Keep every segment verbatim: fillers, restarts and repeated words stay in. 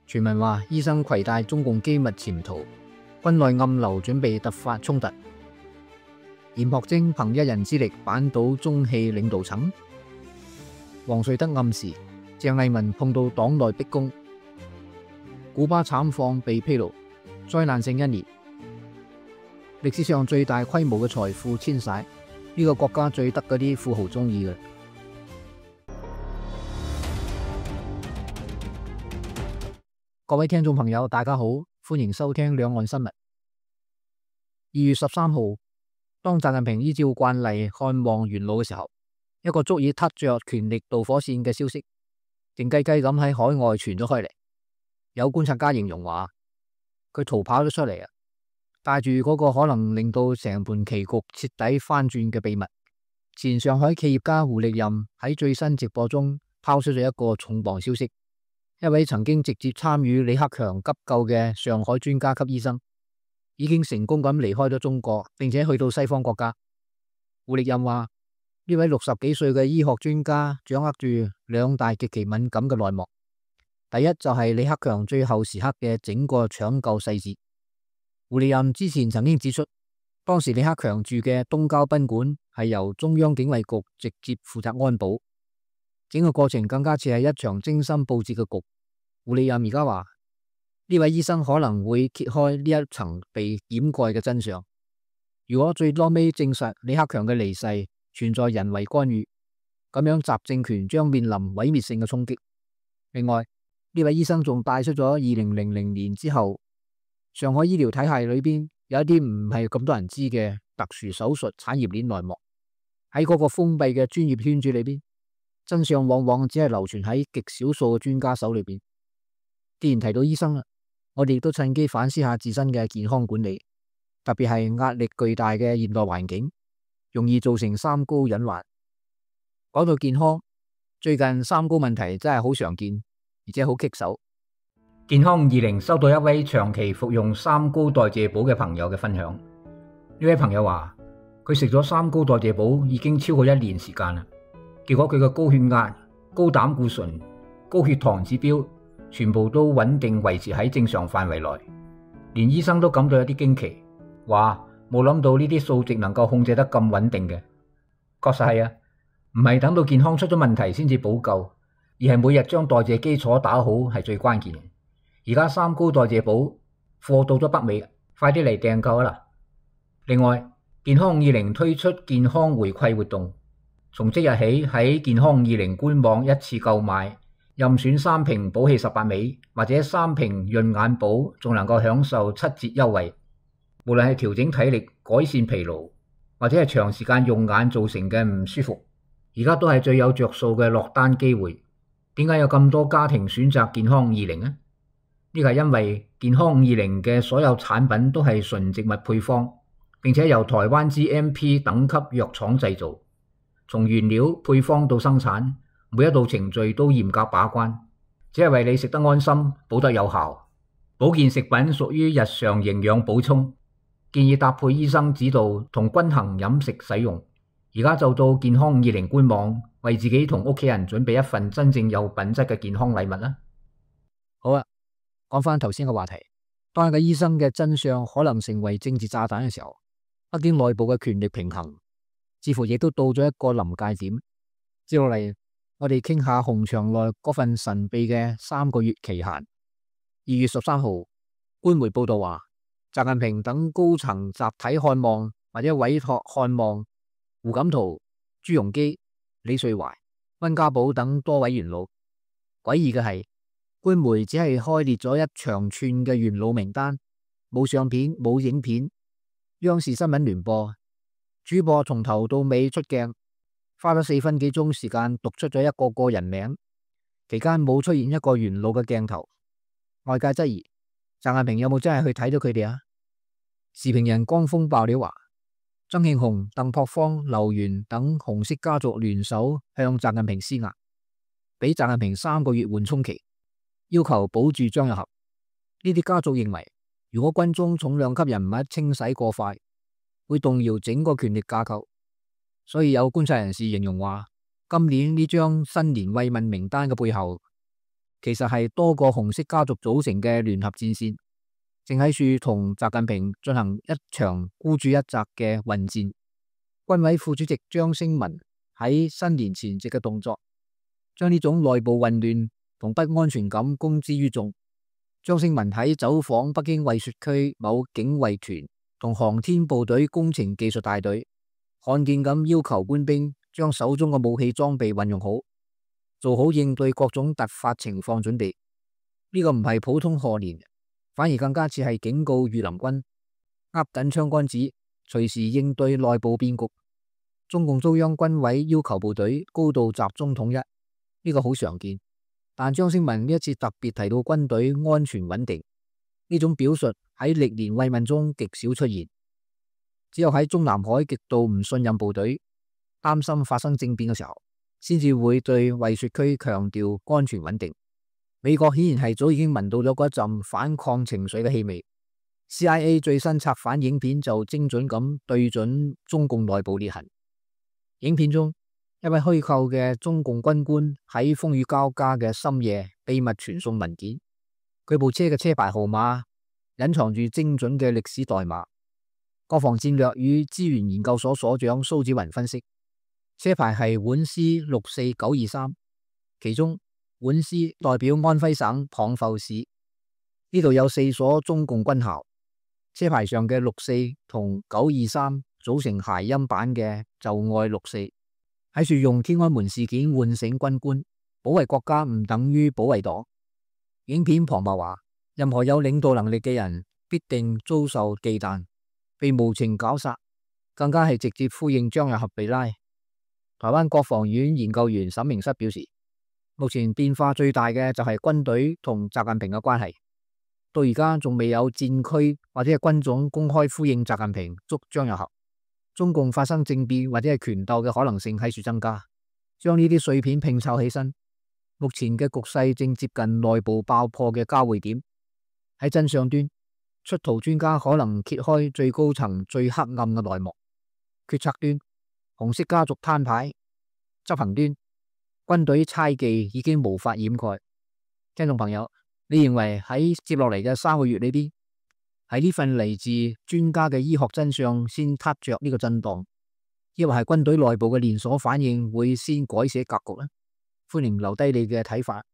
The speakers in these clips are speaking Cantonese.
傳聞話醫生攜帶中共機密潛逃，軍內暗流準備突發衝突。嚴學貞憑一人之力扳倒中氣領導層。王瑞德暗示鄭麗文碰到黨內逼宮。古巴慘況被披露，災難性一年。歷史上最大規模嘅財富遷徙，呢個國家最得嗰啲富豪中意嘅。各位聽眾朋友，大家好，歡迎收聽兩岸新聞。二月十三號，當習近平依照慣例看望元老嘅時候，一個足以撻着權力導火線嘅消息，靜雞雞咁喺海外傳咗開嚟。有觀察家形容話，佢逃跑咗出嚟啊，帶住嗰個可能令到成盤棋局徹底翻轉嘅秘密。前上海企業家胡力任喺最新直播中拋出咗一個重磅消息。一位曾經直接參與李克強急救嘅上海專家級醫生，已經成功咁離開咗中國，並且去到西方國家。胡力任話，呢位六十幾歲嘅醫學專家掌握住兩大極其敏感嘅內幕。第一就係李克強最後時刻嘅整個搶救細節。胡力任之前曾經指出，當時李克強住嘅東郊賓館係由中央警衛局直接負責安保。整個過程更加似係一場精心布置嘅局。胡力任而家話，呢位醫生可能會揭開呢一層被掩蓋嘅真相。如果最多尾證實李克強嘅離世存在人為干預，咁樣習政權將面臨毀滅性嘅衝擊。另外，呢位醫生仲帶出咗二零零零年之後上海醫療體系裏邊有一啲唔係咁多人知嘅特殊手術產業鏈內幕。喺嗰個封閉嘅專業圈子裏邊，真相往往只係流傳喺極少數嘅專家手裏邊。既然提到醫生啦，我哋亦都趁機反思下自身嘅健康管理，特別係壓力巨大嘅現代環境，容易造成三高隱患。講到健康，最近三高問題真係好常見，而且好棘手。健康五二零收到一位長期服用三高代謝寶嘅朋友嘅分享。呢位朋友話，佢食咗三高代謝寶已經超過一年時間啦。結果佢嘅高血壓、高膽固醇、高血糖指標全部都穩定維持喺正常範圍內，連醫生都感到有啲驚奇，話冇諗到呢啲數值能夠控制得咁穩定嘅。確實係啊，唔係等到健康出咗問題先至補救，而係每日將代謝基礎打好係最關鍵嘅。而家三高代謝寶貨到咗北美，快啲嚟訂購啦！另外，健康五二零推出健康回饋活動。從即日起喺健康五二零官網一次購買，任選三瓶寶氣十八味或者三瓶潤眼寶，仲能夠享受七折優惠。無論係調整體力、改善疲勞，或者係長時間用眼造成嘅唔舒服，而家都係最有着數嘅落單機會。點解有咁多家庭選擇健康五二零呢？呢個係因為健康五二零嘅所有產品都係純植物配方，並且由台灣 G M P 等級藥廠製造。從原料配方到生產，每一道程序都嚴格把關，只係為你食得安心，補得有效。保健食品屬於日常營養補充，建議搭配醫生指導同均衡飲食使用。而家就到健康五二零官網，為自己同屋企人準備一份真正有品質嘅健康禮物啦。好啊，講翻頭先嘅話題，當一個醫生嘅真相可能成為政治炸彈嘅時候，北京內部嘅權力平衡似乎亦都到咗一個臨界點。接落嚟，我哋傾下紅牆內嗰份神秘嘅三個月期限。二月十三號，官媒報道話，習近平等高層集體看望或者委託看望胡錦濤、朱鎔基、李瑞懷、溫家寶等多位元老。詭異嘅係，官媒只係開列咗一長串嘅元老名單，冇相片，冇影片。央視新聞聯播主播從頭到尾出鏡，花咗四分幾鐘時間讀出咗一個個人名，期間冇出現一個元老嘅鏡頭。外界質疑習近平有冇真係去睇到佢哋啊？時評人江峰爆料話，曾慶紅、鄧樸方、劉源等紅色家族聯手向習近平施壓，俾習近平三個月緩衝期，要求保住張又俠。呢啲家族認為，如果軍中重量級人物清洗過快，會動搖整個權力架構。所以有觀察人士形容話，今年呢張新年慰問名單嘅背後，其實係多個紅色家族組成嘅聯合戰線，正喺處同習近平進行一場孤注一擲嘅混戰。軍委副主席張升文喺新年前夕嘅動作，將呢種內部混亂同不安全感公之於眾。張升文喺走訪北京惠雪區某警衛團同航天部隊工程技術大隊，罕見咁要求官兵將手中嘅武器裝備運用好，做好應對各種突發情況準備。呢個唔係普通賀年，反而更加似係警告御林軍，握緊槍桿子，隨時應對內部變局。中共中央軍委要求部隊高度集中統一，呢個好常見。但張升文呢一次特別提到軍隊安全穩定，呢種表述喺歷年慰問中極少出現，只有喺中南海極度唔信任部隊，擔心發生政變嘅時候，先至會對惠雪區強調安全穩定。美國顯然係早已經聞到咗嗰一陣反抗情緒嘅氣味。C I A 最新策反影片就精準咁對準中共內部裂痕。影片中，一位虛構嘅中共軍官喺風雨交加嘅深夜秘密傳送文件，佢部車嘅車牌號碼隱藏住精準嘅歷史代碼。國防戰略與資源研究所所長蘇子雲分析，車牌係皖 C 六四九二三，其中皖 C 代表安徽省蚌埠市，呢度有四所中共軍校。車牌上嘅六四同九二三組成諧音版嘅就愛六四，喺處用天安門事件喚醒軍官，保衛國家唔等於保衛黨。影片旁白話，任何有領導能力嘅人必定遭受忌憚，被無情絞殺，更加係直接呼應張又俠被拉。台灣國防院研究員沈明室表示，目前變化最大嘅就係軍隊同習近平嘅關係，到而家仲未有戰區或者係軍種公開呼應習近平捉張又俠。中共發生政變或者係權鬥嘅可能性喺處增加，將呢啲碎片拼湊起身，目前嘅局勢正接近內部爆破嘅交匯點。喺真相端，出逃專家可能揭開最高層最黑暗嘅內幕；決策端，紅色家族攤牌；執行端，軍隊猜忌已經無法掩蓋。聽眾朋友，你認為喺接落嚟嘅三個月裏邊，喺呢份嚟自專家嘅醫學真相先撻着呢個震盪，抑或係軍隊內部嘅連鎖反應會先改寫格局呢？歡迎留低你嘅睇法。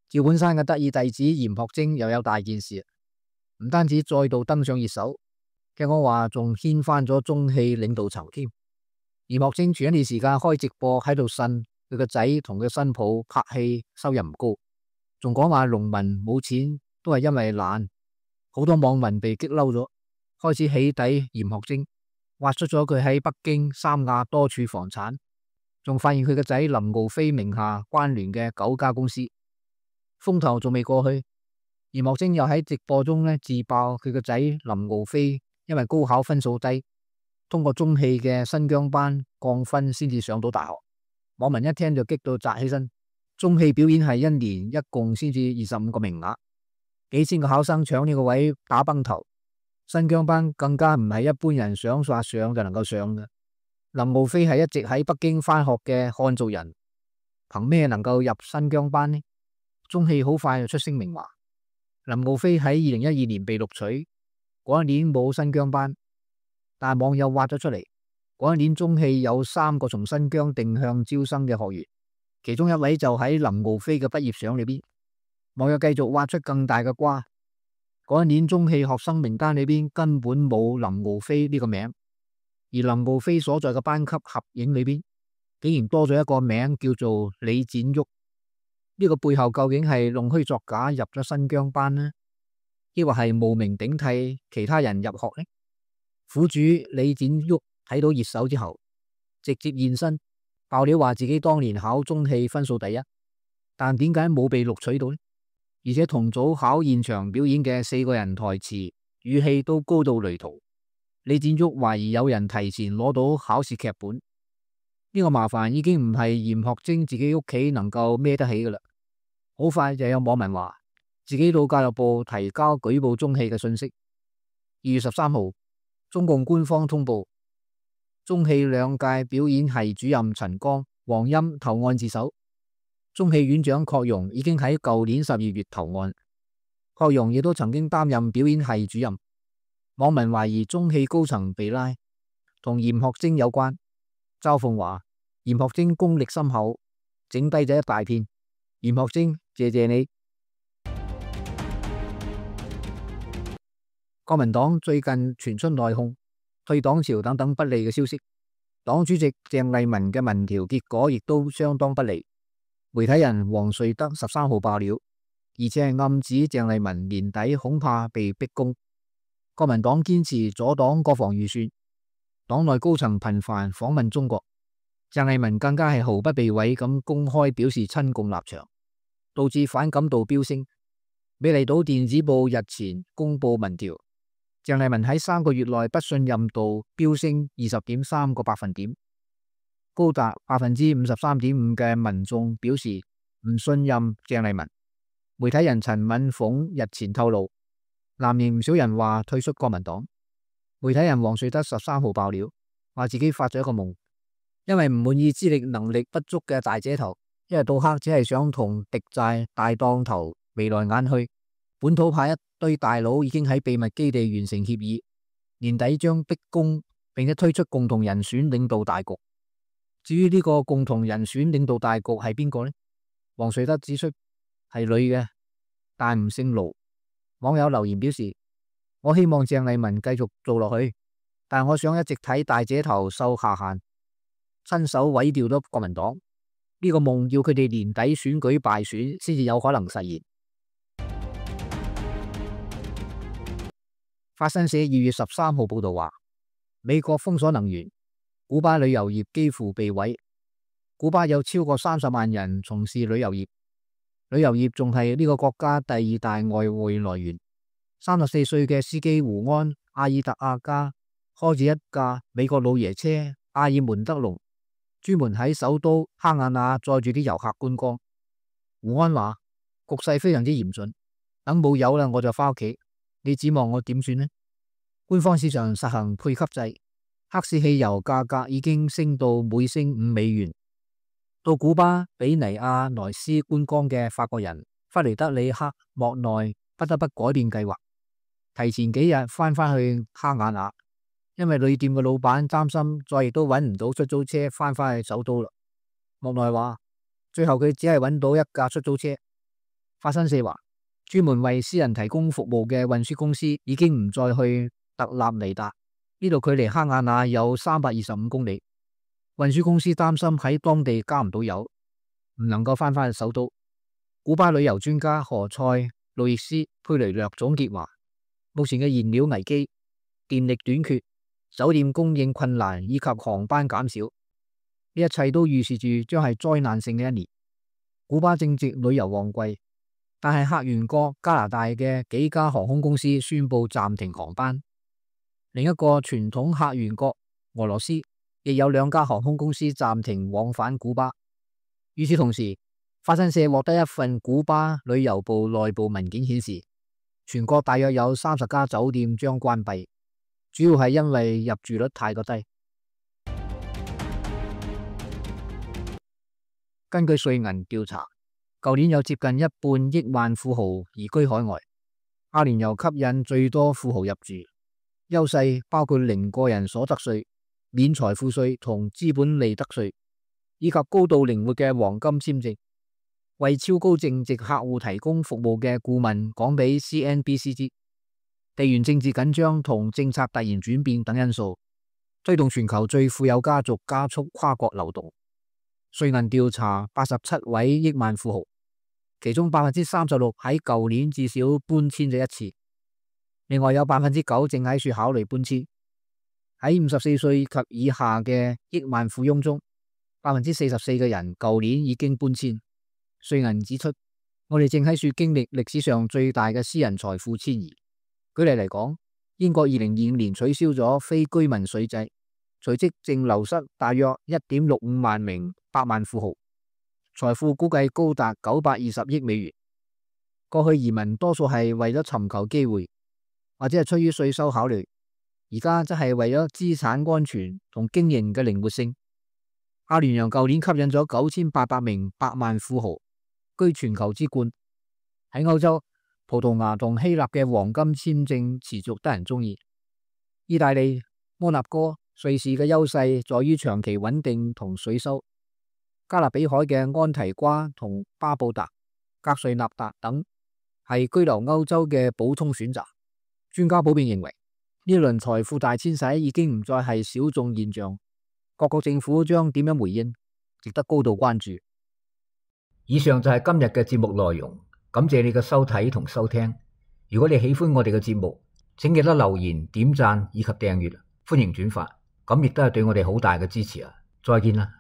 趙本山嘅得意弟子嚴學晶又有大件事，唔單止再度登上熱搜，聽講話仲掀翻咗中戲領導層添。嚴學晶前一段時間開直播喺度呻佢個仔同佢新抱拍戲收入唔高。仲講話農民冇錢都係因為懶，好多網民被激嬲咗，開始起底嚴學晶，挖出咗佢喺北京三亞多處房產，仲發現佢個仔林敖飛名下關聯嘅九家公司。風頭仲未過去，嚴學晶又喺直播中咧自爆佢個仔林敖飛因為高考分數低，通過中戲嘅新疆班降分先至上到大學。網民一聽就激到扎起身。中戲表演係一年一共先至二十五個名額，幾千個考生搶呢個位打崩頭。新疆班更加唔係一般人想話上就能夠上嘅。林敖飛係一直喺北京返學嘅漢族人，憑咩能夠入新疆班呢？中戲好快就出聲明話，林敖飛喺二零一二年被錄取，嗰一年冇新疆班，但網友挖咗出嚟，嗰一年中戲有三個從新疆定向招生嘅學員。其中一位就喺林敖飛嘅畢業相裏邊，網友繼續挖出更大嘅瓜。嗰一年中戲學生名單裏邊根本冇林敖飛呢個名，而林敖飛所在嘅班級合影裏邊，竟然多咗一個名叫做李展旭。呢個背後究竟係弄虛作假入咗新疆班呢，抑或係冒名頂替其他人入學呢？苦主李展旭睇到熱搜之後，直接現身。爆料話自己當年考中戲分數第一，但點解冇被錄取到呢？而且同組考現場表演嘅四個人台詞語氣都高到雷同。李展旭懷疑有人提前攞到考試劇本，呢個麻煩已經唔係嚴學晶自己屋企能夠孭得起噶啦。好快就有網民話自己到教育部提交舉報中戲嘅信息。二月十三號，中共官方通報。中戲兩屆表演系主任陳剛黃欽投案自首。中戲院長郝容已經喺舊年十二月投案。郝容亦都曾經擔任表演系主任。網民懷疑中戲高層被拉同嚴學貞有關。嘲諷話嚴學貞功力深厚，整低咗一大片。嚴學貞，謝謝你。國民黨最近傳出內訌、退黨潮等等不利嘅消息，黨主席鄭麗文嘅民調結果亦都相當不利。媒體人黃瑞德十三號爆料，而且係暗指鄭麗文年底恐怕被逼宮。國民黨堅持阻擋國防預算，黨內高層頻繁訪問中國，鄭麗文更加係毫不避諱咁公開表示親共立場，導致反感度飆升。美麗島電子報日前公布民調，鄭麗文喺三個月內不信任度飆升二十點三個百分點，高達百分之五十三點五嘅民眾表示唔信任鄭麗文。媒體人陳敏鳳日前透露，藍營唔少人話退出國民黨。媒體人黃瑞德十三號爆料，話自己發咗一個夢，因為唔滿意資歷能力不足嘅大姐頭，一日到黑只係想同敵債大當頭眉來眼去。本土派一堆大佬已經喺秘密基地完成協議，年底將逼宮，並且推出共同人選領導大局。至於呢個共同人選領導大局係邊個呢？黃瑞德指出係女嘅，但唔姓盧。網友留言表示，我希望鄭麗文繼續做落去，但我想一直睇大姐頭受下限，親手毀掉咗國民黨。呢個夢要佢哋年底選舉敗選先至有可能實現。法新社二月十三號報道話，美國封鎖能源，古巴旅遊業幾乎被毀。古巴有超過三十萬人從事旅遊業，旅遊業仲係呢個國家第二大外匯來源。三十四歲嘅司機胡安·阿爾特亞加開住一架美國老爺車阿爾門德龍，專門喺首都哈瓦那載住啲遊客觀光。胡安話局勢非常之嚴峻，等冇油啦我就翻屋企。你指望我點算呢？官方市場實行配給制，黑市汽油價格已經升到每升五美元。到古巴比尼亞萊斯觀光嘅法國人弗雷德里克莫內不得不改變計劃，提前幾日翻返去哈瓦那，因為旅店嘅老闆擔心再亦都揾唔到出租車翻返去首都啦。莫內話最後佢只係揾到一架出租車。法新社話，專門為私人提供服務嘅運輸公司已經唔再去特立尼達，呢度距離哈瓦那有三百二十五公里。運輸公司擔心喺當地加唔到油，唔能夠翻返去首都。古巴旅遊專家何塞路易斯佩雷略總結話，目前嘅燃料危機、電力短缺、酒店供應困難以及航班減少，呢一切都預示住將係災難性嘅一年。古巴正值旅遊旺季，但係客源國加拿大嘅幾家航空公司宣布暫停航班。另一個傳統客源國俄羅斯亦有兩家航空公司暫停往返古巴。與此同時，法新社獲得一份古巴旅遊部內部文件顯示，全國大約有三十家酒店將關閉，主要係因為入住率太過低。根據瑞銀調查，舊年有接近一半億萬富豪移居海外，阿聯酋吸引最多富豪入住，優勢包括零個人所得稅、免財富稅同資本利得稅，以及高度靈活嘅黃金簽證。為超高淨值客戶提供服務嘅顧問講俾 C N B C 知，地緣政治緊張同政策突然轉變等因素，推動全球最富有家族加速跨國流動。瑞銀調查八十七位億萬富豪，其中百分之三十六喺舊年至少搬遷咗一次，另外有百分之九正喺處考慮搬遷。喺五十四歲及以下嘅億萬富翁中，百分之四十四嘅人舊年已經搬遷。瑞銀指出，我哋正喺處經歷歷史上最大嘅私人財富遷移。舉例嚟講，英國二零二五年取消咗非居民稅制，隨即淨流失大約一點六五萬名百萬富豪，財富估計高達九百二十億美元。過去移民多數係為咗尋求機會，或者係出於稅收考慮，而家則係為咗資產安全同經營嘅靈活性。阿聯酋舊年吸引咗九千八百名百萬富豪，居全球之冠。喺歐洲，葡萄牙同希臘嘅黃金簽證持續得人中意。意大利、摩納哥、瑞士嘅優勢在於長期穩定同稅收。加勒比海嘅安提瓜同巴布達、格瑞納達等係居留歐洲嘅補充選擇。專家普遍認為，呢輪財富大遷徙已經唔再係小眾現象，各國政府將點樣回應，值得高度關注。以上就係今日嘅節目內容，感謝你嘅收睇同收聽。如果你喜歡我哋嘅節目，請記得留言、點讚以及訂閱，歡迎轉發，咁亦都係對我哋好大嘅支持啊！再見啦！